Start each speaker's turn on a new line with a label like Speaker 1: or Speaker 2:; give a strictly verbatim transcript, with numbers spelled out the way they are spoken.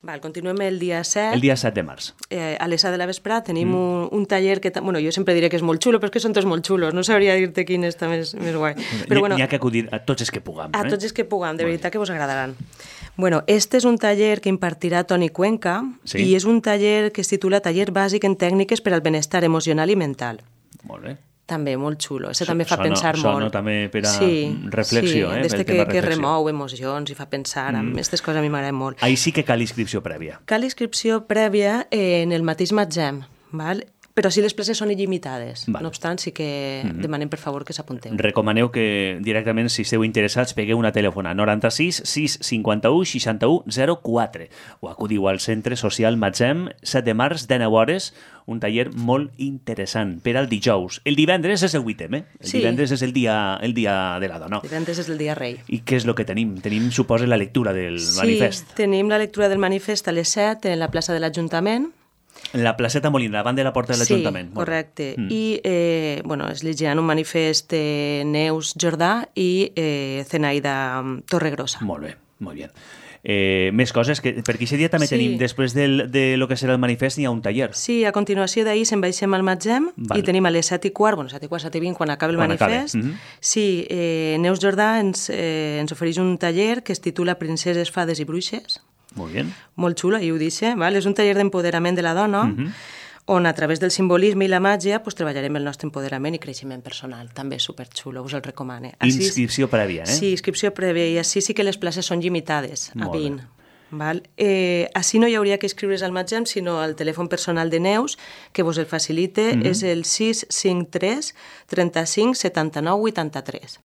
Speaker 1: Val, continuem el dia set.
Speaker 2: El dia set de març.
Speaker 1: Eh, a les set de la vesprada tenim mm. un, un taller que... Bueno, jo sempre diré que és molt xulo, però és que són tots molt xulos. No sabria dir-te quin està més, més guai.
Speaker 2: Però bueno, n'hi ha que acudir a tots els que puguem.
Speaker 1: A
Speaker 2: eh?
Speaker 1: tots els que puguem, de veritat que vos agradaran. Bueno, este és un taller que impartirà Toni Cuenca sí. i és un taller que es titula Taller bàsic en tècniques per al benestar emocional i mental.
Speaker 2: Molt bé.
Speaker 1: També, molt xulo. Això so, també fa
Speaker 2: sono,
Speaker 1: pensar
Speaker 2: sono
Speaker 1: molt.
Speaker 2: Sono també per a
Speaker 1: sí,
Speaker 2: reflexió.
Speaker 1: Sí,
Speaker 2: eh?
Speaker 1: des que, que remou emocions i fa pensar. Mm. Aquestes coses a mi m'agraden molt.
Speaker 2: Ahí sí que cal inscripció prèvia.
Speaker 1: Cal inscripció prèvia en el mateix Matzem, val? Però sí les places són il·limitades. Vale. No obstant, sí que mm-hmm. demanem, per favor, que s'apunteu.
Speaker 2: Recomaneu que directament, si esteu interessats, pegueu una telèfona noranta-sis sis cinquanta-u seixanta-u zero quatre o acudiu al Centre Social Matzem, set de març, dinou hores, un taller molt interessant per al dijous. El divendres és el vuitè, eh? El sí. divendres és el dia, el dia de la dona.
Speaker 1: El divendres és el dia rei.
Speaker 2: I què és el que tenim? Tenim, suposa, la lectura del
Speaker 1: sí,
Speaker 2: manifest.
Speaker 1: Sí, tenim la lectura del manifest a les set en la plaça de l'Ajuntament.
Speaker 2: En la placeta Molina, davant de la porta de l'Ajuntament.
Speaker 1: Sí, correcte. Mm. I eh, bueno, es llegiran un manifest de Neus Jordà i eh, Zenaida Torregrossa.
Speaker 2: Molt bé, molt bé. Eh, més coses, que perquè aquest dia també sí. tenim, després del, de lo que serà el manifest, hi ha un taller.
Speaker 1: Sí, a continuació d'ahir se'n baixem al Matzem i tenim a les set i quart, bueno, set i quart, set i vint, quan acabi el quan manifest. Mm-hmm. Sí, eh, Neus Jordà ens, eh, ens ofereix un taller que es titula Princeses, Fades i Bruixes.
Speaker 2: Molt bé.
Speaker 1: Molt xulo, i ho dice, val? És un taller d'empoderament de la dona, mm-hmm. on a través del simbolisme i la màgia pues, treballarem el nostre empoderament i creixement personal. També és superxulo, us el recomane. Així,
Speaker 2: inscripció prèvia, eh?
Speaker 1: Sí, inscripció prèvia, i així sí que les places són limitades, a vint. Val? Eh, així no hi hauria que inscriure's al Matzem, sinó al telèfon personal de Neus, que vos el facilite, mm-hmm. és el sis cinc tres trenta-cinc setanta-nou vuitanta-tres.